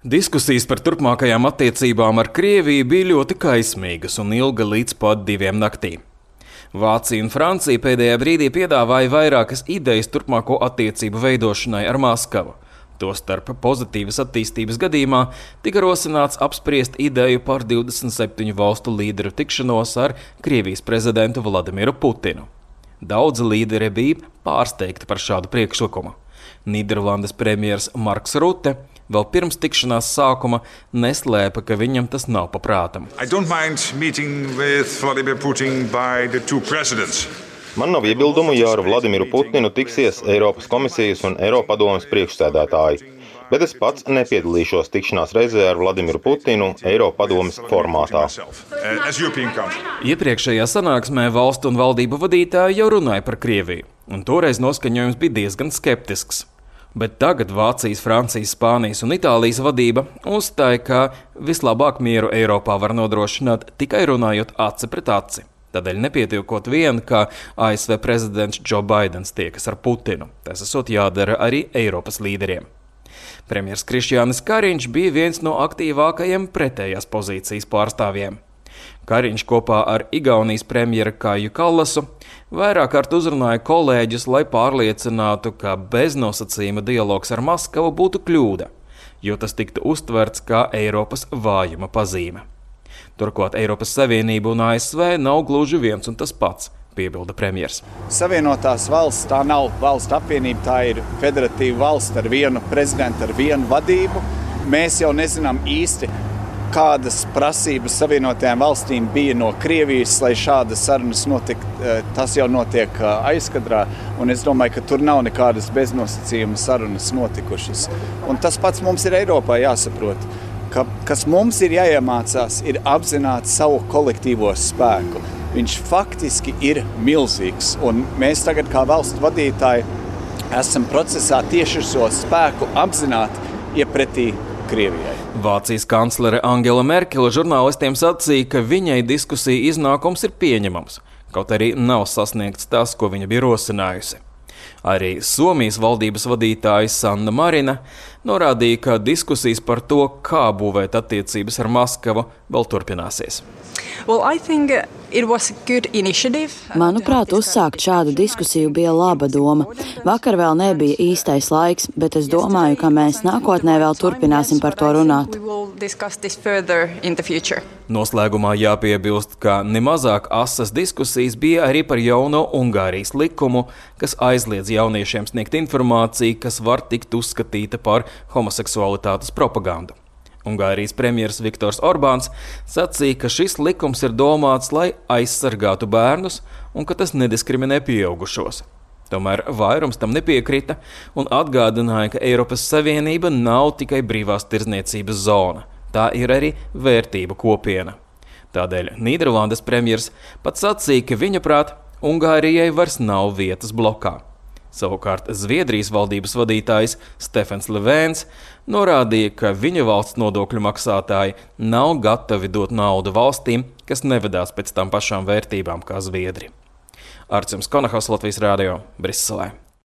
Diskusijas par turpmākajām attiecībām ar Krieviju bija ļoti kaismīgas un ilga līdz pat 2 naktī. Vācija un Francija pēdējā brīdī piedāvāja vairākas idejas turpmāko attiecību veidošanai ar Maskavu. Tostarp pozitīvas attīstības gadījumā tika rosināts apspriest ideju par 27 valstu līderu tikšanos ar Krievijas prezidentu Vladimiru Putinu. Daudzi līderi bija pārsteigti par šādu priekšlikumu. Nīderlandes premjers Marks Rutte vēl pirms tikšanās sākuma neslēpa, ka viņam tas nav pa prātam. Man nav iebildumu, ja ar Vladimiru Putinu tiksies Eiropas komisijas un Eiropadomes priekšsēdētāji, bet es pats nepiedalīšos tikšanās reizē ar Vladimiru Putinu Eiropadomes formātā. Iepriekšējā sanāksmē valstu un valdību vadītāji jau runāja par Krieviju, un toreiz noskaņojums bija diezgan skeptisks. Bet tagad Vācijas, Francijas, Spānijas un Itālijas vadība uzstāja, ka vislabāk mieru Eiropā var nodrošināt tikai runājot aci pret aci. Tādēļ nepietiekot vien, ka ASV prezidents Joe Baidens tiekas ar Putinu. Tas esot jādara arī Eiropas līderiem. Premjers Krišjānis Kariņš bija viens no aktīvākajiem pretējās pozīcijas pārstāvjiem. Kariņš kopā ar Igaunijas premjeru Kaiju Kallasu vairāk kārt uzrunāja kolēģus, lai pārliecinātu, ka beznosacījuma dialogs ar Maskavu būtu kļūda, jo tas tiktu uztverts kā Eiropas vājuma pazīme. Turklāt Eiropas Savienība un ASV nav gluži viens un tas pats, piebilda premjers. Savienotās valsts tā nav valstu apvienība, tā ir federatīva valsts ar vienu prezidentu, ar vienu vadību. Mēs jau nezinām īsti, kādas prasības Savienotajām valstīm bija no Krievijas, lai šādas sarunas notiek. Tas jau notiek aizkadrā, un es domāju, ka tur nav nekādas beznosacījuma sarunas notikušas. Un tas pats mums ir Eiropā jāsaprot, ka kas mums ir jāiemācās, ir apzināt savu kolektīvo spēku. Viņš faktiski ir milzīgs, un mēs tagad kā valstu vadītāji esam procesā tieši šo spēku apzināt iepretī Krievijai. Vācijas kanclere Angela Merkele žurnālistiem sacīja, ka viņai diskusija iznākums ir pieņemams, kaut arī nav sasniegts tas, ko viņa bija rosinājusi. Arī Somijas valdības vadītāja Sanna Marina norādīja, ka diskusijas par to, kā būvēt attiecības ar Maskavu, vēl turpināsies. Manuprāt, uzsākt šādu diskusiju bija laba doma. Vakar vēl nebija īstais laiks, bet es domāju, ka mēs nākotnē vēl turpināsim par to runāt. Noslēgumā jāpiebilst, ka nemazāk asas diskusijas bija arī par jauno Ungārijas likumu, kas aizliedz jauniešiem sniegt informāciju, kas var tikt uzskatīta par homoseksualitātes propagandu. Ungārijas premjers Viktors Orbāns sacīja, ka šis likums ir domāts, lai aizsargātu bērnus un ka tas nediskriminē pieaugušos. Tomēr vairums tam nepiekrita un atgādināja, ka Eiropas Savienība nav tikai brīvās tirdzniecības zona, tā ir arī vērtību kopiena. Tādēļ Nīderlandes premjers pat sacīja, ka viņa prāt Ungārijai vairs nav vietas blokā. Savukārt Zviedrijas valdības vadītājs Stefans Löfvens norādīja, ka viņa valsts nodokļu maksātāji nav gatavi dot naudu valstīm, kas nevedās pēc tām pašām vērtībām kā Zviedri. Arčuns Konahos, Latvijas Rādio, Briselē.